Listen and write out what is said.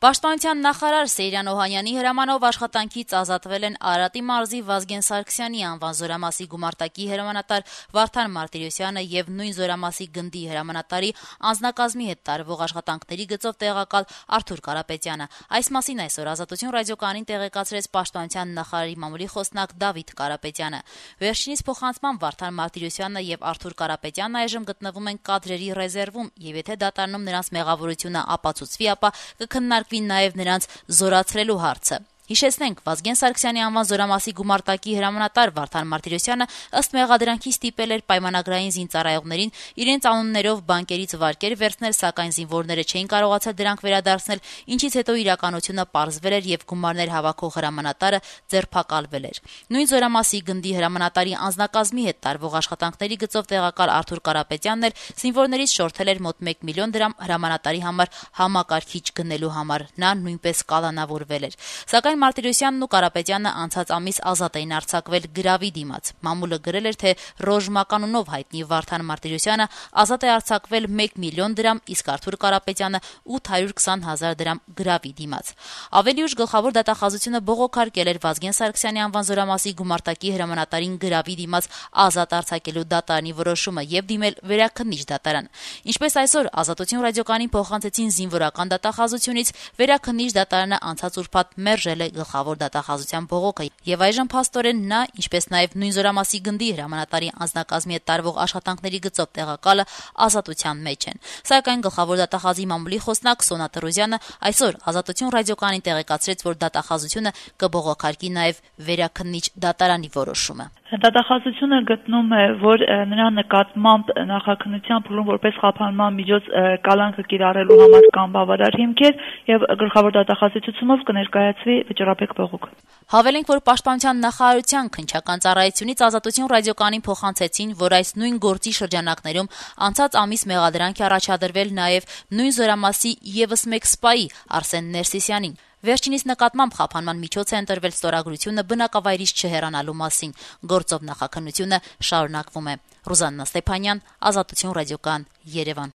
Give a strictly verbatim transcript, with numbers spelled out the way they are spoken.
Պաշտպանության նախարար Սեյրան Օհանյանի հրամանով աշխատանքից ազատվել են Արարատի մարզի Վազգեն Սարգսյանի անվան զորամասի գումարտակի հրամանատար Վարդան Մարտիրոսյանը եւ նույն զորամասի գնդի հրամանատարի անձնակազմի հետ տարվող աշխատանքների գծով տեղակալ Արթուր Կարապետյանը։ Այս մասին այսօր Ազատություն ռադիոկայանին տեղեկացրեց Պաշտպանության նախարարի մամուլի խոսնակ Դավիթ Կարապետյանը։ Վերջինիս փոխանցման Վարդան Մարտիրոսյանը եւ Արթուր Կարապետյանն այժմ գտնվում են կադրերի ռեզերվում եւ եթե դատարանում նրանց մեղավորությունը ապացուցվի, ապա կքննարկվի նաև նրանց զորացրելու հարցը։ Հիշեցնենք, Վազգեն Սարգսյանի անվան զորամասի գումարտակի հրամանատար Վարդան Մարտիրոսյանը ըստ մեղադրանքի ստիպել էր պայմանագրային զինծառայողներին իրենց անուններով բանկերից վարկեր վերցնել, սակայն զինվորները չէին կարողացել դրանք վերադարձնել, ինչից հետո իրականությունը պարզվել էր եւ գումարներ հավաքող հրամանատարը ձերբակալվել էր։ Նույն զորամասի գնդի հրամանատարի անձնակազմի հետ տարվող աշխատանքների գծով տեղակալ Արթուր Կարապետյանն էր զինվորներից շորթել էր մոտ մեկ միլիոն դրամ հրամանատարի համար համակարգիչ գնելու համար։ Նա նույնպես կալանավորվել էր։ Սակայն Մարտիրոսյանն ու Կարապետյանը անցած ամիս ազատ էին արձակվել գրավի դիմաց։ Մամուլը գրել էր, թե Ռոժ մականունով հայտնի Վարդան Մարտիրոսյանը ազատ է արձակվել մեկ միլիոն դրամ, իսկ Արթուր Կարապետյանը ութ հարյուր քսան հազար դրամ գրավի դիմաց։ Ավելի ուշ գլխավոր դատախազությունը բողոքարկել էր Վազգեն Սարգսյանի անվան զորամասի գումարտակի հրամանատարին գրավի դիմաց ազատ արձակելու դատարանի որոշումը եւ դիմել վերաքննիչ դատարան։ Ինչպես այսօր Ազատություն ռադիոկայանին փոխանցեցին զինվորական դատախազությունից, վերաքննիչ դատարանը անցած ուրբաթ մերժել է գլխավոր դատախազության բողոքը եւ այժմ փաստորեն նա, ինչպես նաեւ նույն զորամասի գնդի հրամանատարի անձնակազմի հետ տարվող աշխատանքների գծով տեղակալը ազատության մեջ են։ Սակայն գլխավոր դատախազի մամուլի խոսնակ Սոնա Տրոզյանը այսօր Ազատություն ռադիոկայանին տեղեկացրեց, որ դատախազությունը կբողոքարկի նաեւ վերաքննիչ դատարանի որոշումը։ Դատախազությունը գտնում է, որ նրա նկատմամբ նախաքննության փուլում որպես խափանման միջոց կալանքը կիրառելու համար կան բավարար հիմքեր եւ գլխավոր դատախազությունով կներկայացվի վճռաբեկ բողոք։ Հավելենք, որ Պաշտպանության նախարարության քննչական ծառայությունից Ազատություն ռադիոկայանին փոխանցեցին, որ այս նույն գործի շրջանակներում անցած ամիս մեղադրանք է առաջադրվել նաեւ նույն զորամասի եւս մեկ սպայի Արսեն Ներսիսյանին։ Վերջինիս նկատմամբ խափանման միջոց է ընտրվել ստորագրությունը բնակավայրից չհեռանալու մասին։ Գործով նախաքննությունը շարունակվում է։ Ռուզաննա Ստեփանյան, Ազատություն ռադիոկայան, Երևան։